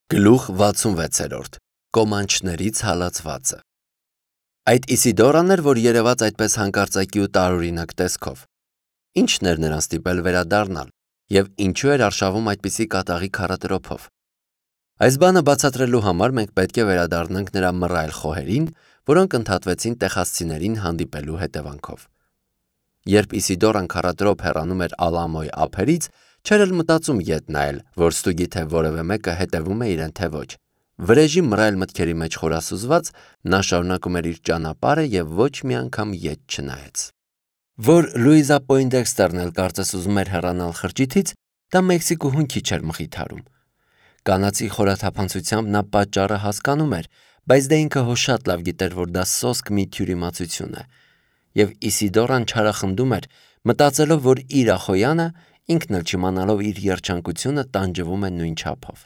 Գլուխ 66 Կոմանչներից հալածվածը Այդ Իսիդորան էր, որ երևաց այդպես հանկարծակի ու տարօրինակ տեսքով։ Ինչն էր նրան ստիպել վերադառնալ, և ինչու էր արշավում այդպիսի կատաղի քարատրոփով։ Այս բանը բացատրելու համար մենք պետք է վերադառնանք նրա մռայլ խոհերին, որոնք ընդհատվեցին տեխասցիներին հանդիպելու հետևանքով։ Երբ Իսիդորան քարատրոփ հեռանում էր Ալամոյ ափերից, չէր էլ մտածում ետ նայել, որ ստուգի թե որևէ մեկը հետևում է իրեն թե ոչ։ Վրեժի մռայլ մտքերի մեջ խորասուզված, նա շարունակում էր իր ճանապարհը և ոչ մի անգամ ետ չնայեց։ Որ Լուիզա Պոինդեքստերն էլ կարծես ուզում էր հեռանալ խրճիթից, դա Մեքսիկուհուն քիչ էր մխիթարում։ Կանացի խորաթափանցությամբ նա պատճառը հասկանում էր, բայց դե ինքը հո շատ լավ գիտեր, որ դա սոսկ մի թյուրիմացություն է։ Եվ Իսիդորան չարախնդում էր, մտածելով, որ իր Ախոյանը, ինքն էլ չիմանալով իր երջանկությունը, տանջվում է նույն չափով։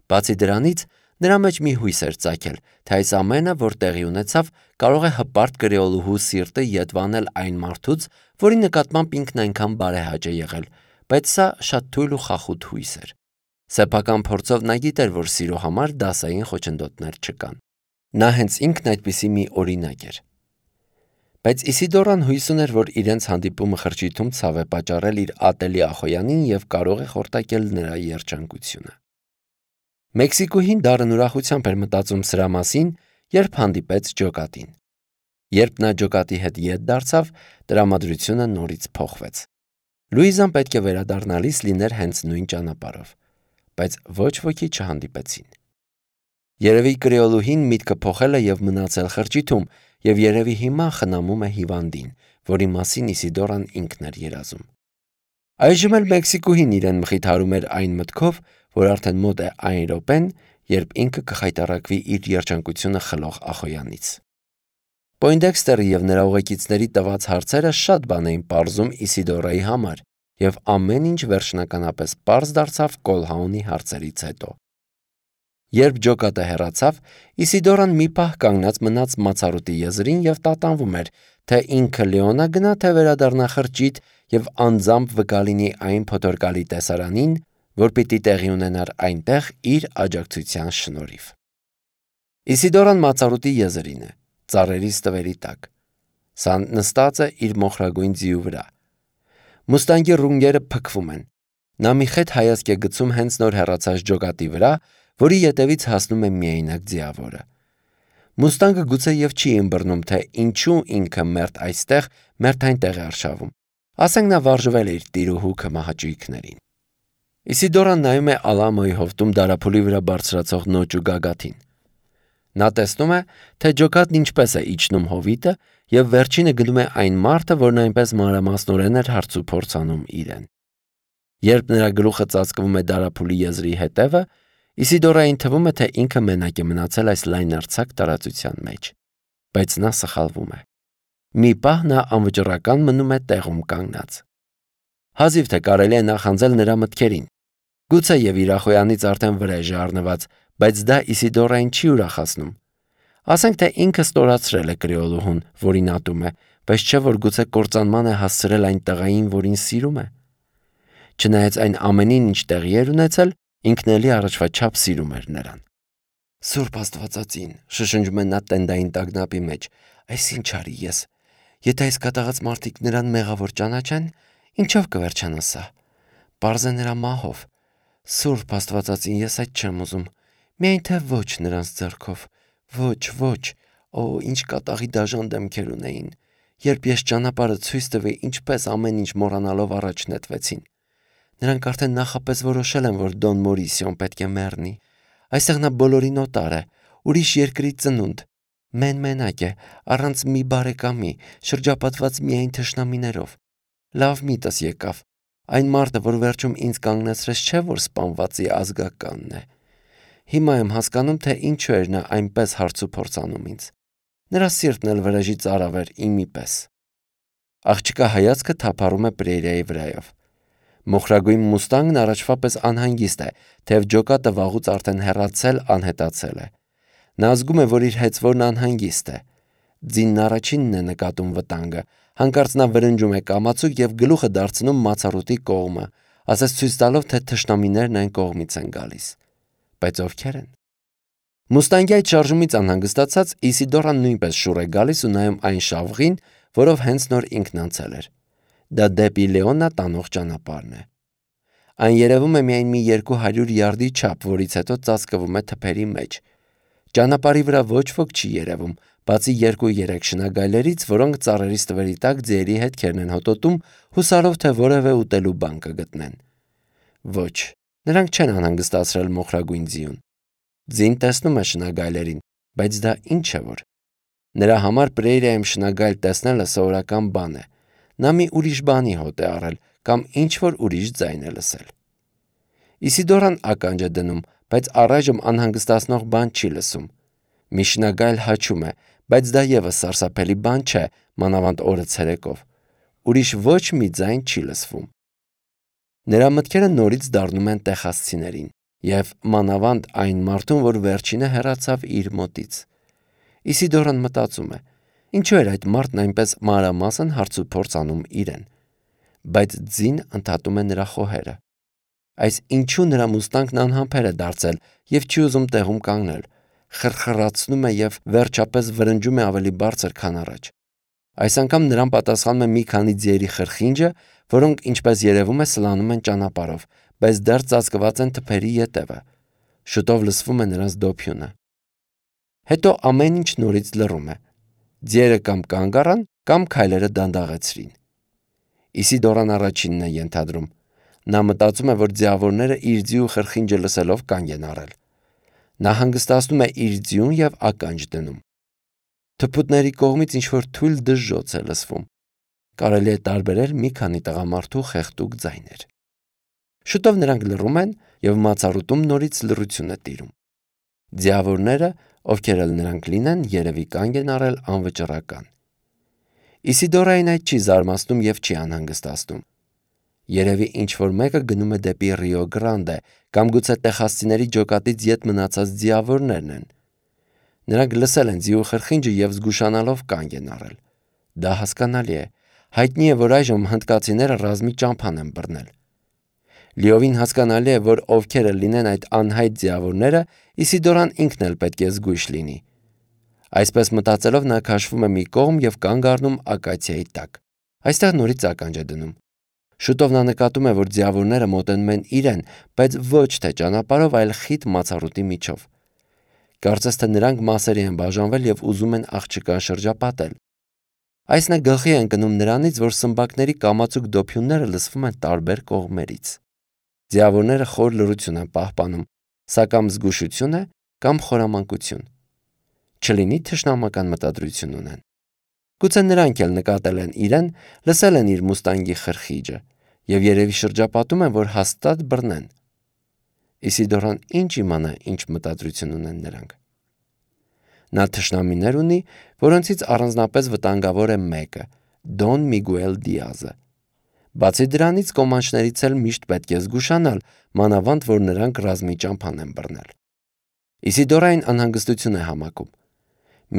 Բացի դրանից, նրա մեջ մի հույս էր ծագել, թե այս ամենը, որ տեղի ունեցավ, կարող է հպարտ կրեոլուհու սիրտը ետվանել այն մարդուց, որի նկատմամբ ինքն այնքան բարեհաճ է եղել, բայց սա շատ թույլ ու խախուտ հույս էր։ Սեփական փորձով նա գիտեր, որ սիրո համար դասային խոչընդոտներ չկան։ Նա հենց ինքն այդպիսի մի օրինակ էր։ Բայց Իսիդորան հույս ուներ, որ իրենց հանդիպումը խրճիթում ցավ է պատճառել իր ատելի Ախոյանին և կարող է խորտակել նրա երջանկությունը։ Մեքսիկուհին դառն ուրախությամբ էր մտածում սրա մասին, երբ հանդիպեց ջոկատին։ Երբ նա ջոկատի հետ ետ դարձավ, տրամադրությունը նորից փոխվեց։ Լուիզան պետք է վերադառնալիս լիներ հենց նույն ճանապարհով, բայց ոչ ոքի չհանդիպեցին։ Երևի կրեոլուհին միտքը փոխել է և մնացել խրճիթում, և երևի հիմա խնամում է հիվանդին, որի մասին Իսիդորան ինքն էր երազում։ Այժմ էլ Մեքսիկուհին իրեն մխիթարում էր այն մտքով, որ արդեն մոտ է այն րոպեն, երբ ինքը կխայտառակվի իր երջանկությունը խլող Ախոյանից։ Պոինդեքստերը և նրա ուղեկիցների տված հարցերը շատ բան էին պարզում Իսիդորայի համար, և ամեն ինչ վերջնականապես պարզ դարձավ Կոլհաունի հարցերից հետո։ Երբ ջոկատը հեռացավ, Իսիդորան մի պահ կանգնած մնաց մացառուտի եզրին և տատանվում էր, թե ինքը Լեոնա գնա, թե վերադառնա խրճիթ և անձամբ վկա լինի այն փոթորկալի տեսարանին, որ պիտի տեղի ունենար այնտեղ իր աջակցության շնորհիվ։ Իսիդորան մացառուտի եզրին է, ծառերի ստվերի տակ։ Սա նստած է իր մոխրագույն ձիու վրա։ Մուստանգի ռունգերը փքվում են։ Նա մի խետ հայացք է գցում հենց նոր հեռացած ջոկատի վրա, որի ետևից հասնում է միայնակ ձիավորը։ Մուստանգը գուցե և չի ըմբռնում, թե ինչու ինքը մերթ այստեղ, մերթ այնտեղ է արշավում։ Ասենք նա վարժվել է իր տիրուհու քմահաճույքներին։ Իսիդորան նայում է Ալամոյի հովտում դարափուլի վրա բարձրացող նոճ ու գագաթին։ Նա տեսնում է, թե ջոկատն ինչպես է իջնում հովիտը, և վերջինը գնում է այն մարդը, որն այնպես մանրամասնորեն էր հարցուփորձ անում իրեն։ Երբ նրա գլուխը ծածկվում է դարափուլի եզրի հետևը, Իսիդորային թվում է, թե ինքը մենակ է մնացել այս լայնարձակ տարածության մեջ։ Բայց նա սխալվում է։ Մի պահ նա անվճռական մնում է տեղում կանգնած։ Հազիվ թե կարելի է նախանձել նրա մտքերին։ Գուցե և իր Ախոյանից արդեն վրեժ է առնված, բայց դա Իսիդորային չի ուրախացնում։ Ասենք թե ինքը ստորացրել է կրեոլուհուն, որին ատում է, բայց չէ որ գուցե կործանման է հասցրել այն տղային, որին սիրում է։ Չնայած այն ամենին, ինչ տեղի էր ունեցել, ինքն էլի առաջվա չափ սիրում էր նրան։ Սուրբ Աստվածածին, շշնջում է նա տենդային տագնապի մեջ, այս ինչ արի ես։ Եթե այս կատաղած մարդիկ նրան մեղավոր ճանաչեն, ինչով կվերջանա սա։ Պարզ է նրա մահով։ Սուրբ Աստվածածին, ես այդ չեմ ուզում։ Միայն թե ոչ նրանց ձեռքով։ Ոչ, օ, ինչ կատաղի դաժան դեմքեր ունեին։ Երբ ես ճանապարհը ցույց տվի, ինչպես ամեն ինչ մոռանալով առաջ նետվեցին։ Նրանք արդեն նախապես որոշել են, որ Դոն Մորիսիոն պետք է մեռնի։ Այստեղ նա բոլորին օտար է, ուրիշ երկրի ծնունդ, մենակ է, առանց մի բարեկամի, շրջապատված միայն թշնամիներով։ Լավ միտս եկավ։ Այն մարդը, որ վերջում ինձ կանգնեցրեց, չէ որ սպանվածի ազգականն է։ Հիմա եմ հասկանում, թե ինչու էր նա այնպես հարցուփորձ անում ինձ։ Նրա սիրտն էլ վրեժի ծարավ էր իմի պես։ Աղջկա հայացքը թափառում է Պրերիայի վրայով։ Մոխրագույն մուստանգն առաջվա պես անհանգիստ է, թեև ջոկատը վաղուց արդեն հեռացել անհետացել է։ Նա զգում է, որ իր հեծվորն անհանգիստ է։ Ձինն առաջինն է նկատում վտանգը, հանկարծ նա վրնջում է կամացուկ և գլուխը դարձնում մացառուտի կողմը, ասես ցույց տալով, թե թշնամիներն այն կողմից են գալիս։ բայց ովքեր են։ Մուստանգի այդ շարժումից անհանգստացած Իսիդորան նույնպես շուռ է գալիս ու նայում այն շավղին, որով հենց նոր ինքն անցել էր։ Դա դեպի Լեոնա տանող ճանապարհն է։ Այն երևում է միայն մի 200 յարդի չափ, որից հետո ծածկվում է թփերի մեջ։ Ճանապարհի վրա ոչ ոք չի երևում, բացի 2-3 շնագայլերից, որոնք ծառերի ստվերի տակ ձիերի հետքերն են հոտոտում, հուսալով թե որևէ ուտելու բան կգտնեն։ Ոչ, նրանք չեն անհանգստացրել մոխրագույն ձիուն։ Ձին տեսնում է շնագայլերին, բայց դա ինչ է որ։ Նրա համար պրերիայում շնագայլ տեսնելը սովորական բան է։ Նա մի ուրիշ բանի հոտ է առել կամ ինչ-որ ուրիշ ձայն է լսել։ Իսիդորան ականջ է դնում, բայց առայժմ անհանգստացնող բան չի լսում։ Մի շնագայլ հաչում է, բայց դա ևս սարսափելի բան չէ, մանավանդ օրը ցերեկով։ Ուրիշ ոչ մի ձայն չի լսվում։ Նրա մտքերը նորից դառնում են տեխասցիներին և մանավանդ այն մարդուն, որ վերջինը հեռացավ իր մոտից։ Իսիդորան մտածում է. ինչու էր այդ մարդն այնպես մանրամասն հարցուփորձ անում իրեն, բայց ձին ընդհատում է նրա խոհերը։ Այս ինչու նրա մուստանգն անհամբեր է դարձել և չի ուզում տեղում կանգնել, խրխրացնում է և վերջապես վրնջում է ավելի բարձր, քան առաջ։ Այս անգամ նրան պատասխանում է մի քանի ձիերի խրխինջը, որոնք, ինչպես երևում է, սլանում են ճանապարհով, բայց դեռ ծածկված են թփերի ետևը։ Շուտով լսվում է նրանց դոփյունը։ Հետո ամեն ինչ նորից լռում է։ Ձիերը կամ կանգ առան, կամ քայլերը դանդաղեցրին։ Իսիդորան առաջինն է ենթադրում։ Նա մտածում է, որ ձիավորները իր ձիու խրխինջը լսելով կանգ են առել։ Նա հանգստացնում է իր ձիուն և ականջ դնում։ Թփուտների կողմից ինչ-որ թույլ դժժոց է լսվում։ Կարելի է տարբերել մի քանի տղամարդու խեղդուկ ձայներ։ Շուտով նրանք լռում են և մացառուտում նորից լռություն է տիրում։ Ձիավորները, ովքեր էլ նրանք լինեն, երևի կանգ են առել անվճռական։ Իսիդորային այդ չի զարմացնում և չի անհանգստացնում։ Երևի ինչ-որ մեկը գնում է դեպի Ռիո Գրանդե, կամ գուցե տեխասցիների ջոկատից ետ մնացած ձիավորներն են։ Նրանք լսել են ձիու խրխինջը և զգուշանալով կանգ են առել։ Դա հասկանալի է։ Հայտնի է, որ այժմ հնդկացիները ռազմի ճամփան են բռնել։ Լիովին հասկանալի է, որ ովքեր էլ լինեն այդ անհայտ ձիավորները, Իսիդորան ինքն էլ պետք է զգույշ լինի։ Այսպես մտածելով նա քաշվում է մի կողմ և կանգ առնում ակացիայի տակ։ Այստեղ նորից ականջ է դնում։ Շուտով նա նկատում է, որ ձիավորները մոտենում են իրեն, բայց ոչ թե ճանապարհով, այլ խիտ մացառուտի միջով։ Կարծես թե նրանք մասերի են բաժանվել և ուզում են աղջկան շրջապատել։ Այս նա գլխի է ընկնում նրանից, որ սմբակների կամացուկ դոփյունները լսվում են տարբեր կողմերից։ Ձիավորները խոր լռություն են պահպանում, սա կամ զգուշություն է, կամ խորամանկություն։ Չլինի թշնամական մտադրություն ունեն։ Գուցե նրանք էլ նկատել են իրեն, լսել են իր մուստանգի խրխիջը և երևի շրջապատում են, որ հաստատ բռնեն։ Իսիդորան ինչ իմանա, ինչ մտադրություն ունեն նրանք։ Նա թշնամիներ ունի, որոնցից առանձնապես վտանգավոր է մեկը՝ Դոն Միգուել Դիազը։ Բացի դրանից կոմանչներից էլ միշտ պետք է զգուշանալ, մանավանդ որ նրանք ռազմի ճամփան են բռնել։ Իսիդորային անհանգստություն է համակում։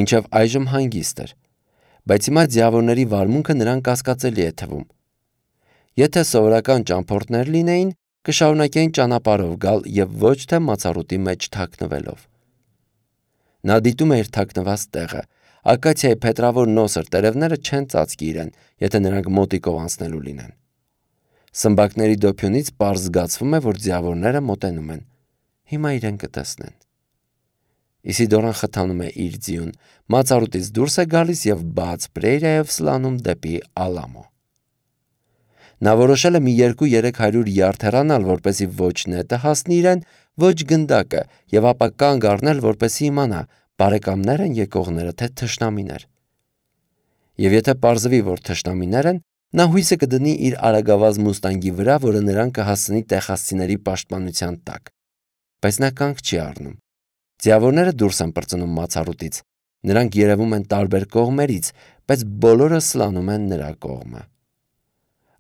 Մինչև այժմ հանգիստ էր, բայց հիմա ձիավորների վարմունքը նրան կասկածելի է թվում։ Եթե սովորական ճամփորդներ լինեին, կշարունակեին ճանապարհով գալ և ոչ թե մացառուտի մեջ թաքնվելով։ Նա դիտում է իր թաքնված տեղը։ Ակացիայի փետրավոր նոսր տերևները չեն ծածկի իրեն, եթե նրանք մոտիկով անցնելու լինեն։ Սմբակների դոփյունից պարզ զգացվում է, որ ձիավորները մոտենում են։ Հիմա իրեն կտեսնեն։ Իսիդորան խթանում է իր ձիուն, մացառուտից դուրս է գալիս և բաց պրերիայով սլանում դեպի Ալամո։ Նա որոշել է մի 200-300 յարդ հեռանալ, որպեսզի ոչ նետը հասնի իրեն, ոչ գնդակը, և ապա կանգ առնել, որպեսզի իմանա՝ բարեկամներ են եկողները, թե թշնամիներ։ Եվ եթե պարզվի, որ թշնամիներ են, նա հույսը կդնի իր արագավազ մուստանգի վրա, որը նրան կհասցնի տեխասցիների պաշտպանության տակ։ Բայց նա կանգ չի առնում։ Ձիավորները դուրս են պրծնում մացառուտից։ Նրանք երևում են տարբեր կողմերից, բայց բոլորը սլանում են նրա կողմը։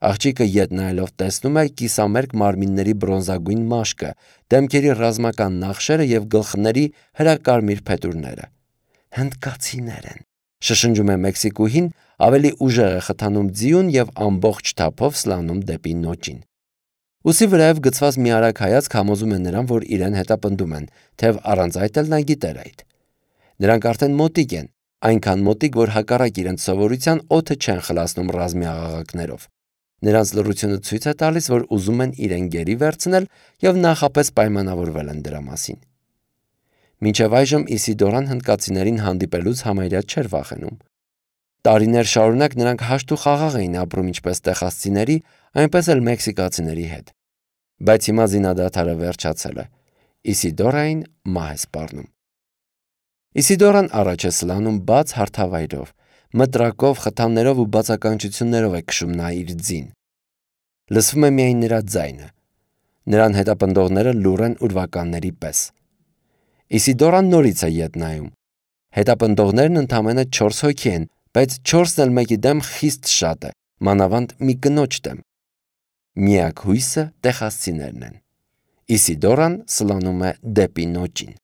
Աղջիկը ետ նայելով տեսնում է կիսամերկ մարմինների բրոնզագույն մաշկը, դեմքերի ռազմական նախշերը և գլխների հրակարմիր փետուրները։ Հնդկացիներ են, շշնջում է մեքսիկուհին, ավելի ուժեղ է խթանում ձիուն և ամբողջ թափով սլանում դեպի նոճին։ Ուսի վրայով գցված մի արագ հայացք համոզում է նրան, որ իրեն հետապնդում են, թեև առանց այդ էլ նա գիտեր այդ։ Նրանք արդեն մոտիկ են, այնքան մոտիկ, որ հակառակ իրենց սովորության օդը չեն խլացնում ռազմի աղաղակներով։ Նրանց լռությունը ցույց է տալիս, որ ուզում են իրեն գերի վերցնել եւ նախապես պայմանավորվել են դրա մասին։ Մինչև այժմ Իսիդորան հնդկացիներին հանդիպելուց համարյա չէր վախենում։ Տարիներ շարունակ նրանք հաշտ ու խաղաղ էին ապրում ինչպես տեխասցիների, այնպես էլ մեքսիկացիների հետ։ Բայց հիմա զինադադարը վերջացել է։ Իսիդորային մահ է սպառնում։ Իսիդորան առաջ է սլանում բաց հարթավայրով, մտրակով, խթաններով ու բացականչություններով է քշում նա իր ձին։ Լսվում է միայն նրա ձայնը։ Նրան հետապնդողները լուռ են ուրվականների պես։ Իսիդորան նորից է ետ նայում։ Հետապնդողներն ընդամենը 4 հոգի են, բայց 4-ն էլ մեկի դեմ խիստ շատ է, մանավանդ մի կնոջ դեմ։ Միակ հույսը տեխասցիներն են։ Իսիդորան սլանում է դեպի նոճին։